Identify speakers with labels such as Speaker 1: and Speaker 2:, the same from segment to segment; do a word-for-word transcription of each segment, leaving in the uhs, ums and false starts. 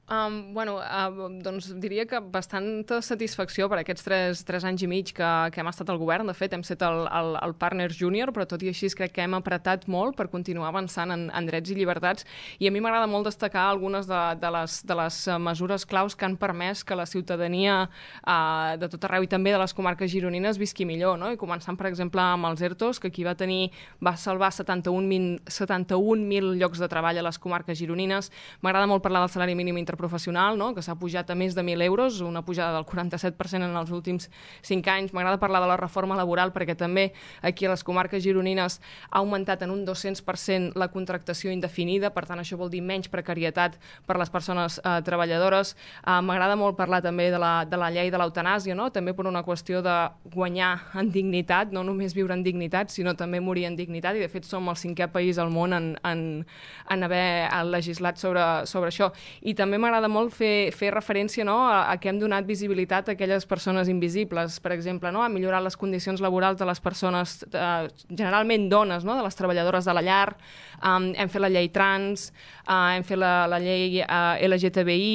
Speaker 1: Um, bueno, uh, doncs diria que bastanta satisfacció per aquests tres, tres anys i mig que, que hem estat al govern. De fet, hem estat el, el, el Partners Junior, però tot i així crec que hem apretat molt per continuar avançant en, en drets i llibertats. I a mi m'agrada molt destacar algunes de, de, les, de les mesures claus que han permès que la ciutadania uh, de tot arreu i també de les comarques gironines visqui millor, no? I començant, per exemple, amb els ERTOs, que aquí va tenir, va salvar setanta-un mil llocs de treball a les comarques gironines. M'agrada molt parlar del salari mínim interprofessional professional, no? Que s'ha pujat a més de mil euros, una pujada del quaranta-set per cent en els últims cinc anys. M'agrada parlar de la reforma laboral perquè també aquí a les comarques gironines ha augmentat en un dos-cents per cent la contractació indefinida, per tant això vol dir menys precarietat per les persones eh, treballadores. Eh, M'agrada molt parlar també de la, de la llei de l'eutanàsia, no? També per una qüestió de guanyar en dignitat, no només viure en dignitat, sinó també morir en dignitat, i de fet som el cinquè país al món en, en, en haver legislat sobre, sobre això. I també m'agrada molt fer, fer referència, no, a, a que hem donat visibilitat a aquelles persones invisibles, per exemple, no, a millorar les condicions laborals de les persones, eh, generalment dones, no, de les treballadores de la llar. Um, hem fet la llei trans, uh, hem fet la, la llei uh, L G T B I,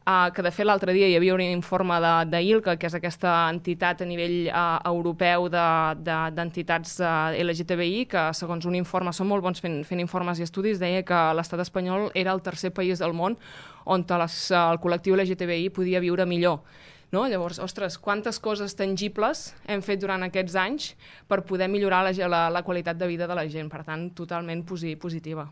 Speaker 1: uh, que de fet l'altre dia hi havia un informe d'ILCA, que és aquesta entitat a nivell uh, europeu d'entitats de, de, uh, L G T B I, que segons un informe, són molt bons fent, fent informes i estudis, deia que l'estat espanyol era el tercer país del món on les, el col·lectiu L G T B I podia viure millor. No? Llavors, ostres, quantes coses tangibles hem fet durant aquests anys per poder millorar la, la, la qualitat de vida de la gent. Per tant, totalment posi, positiva.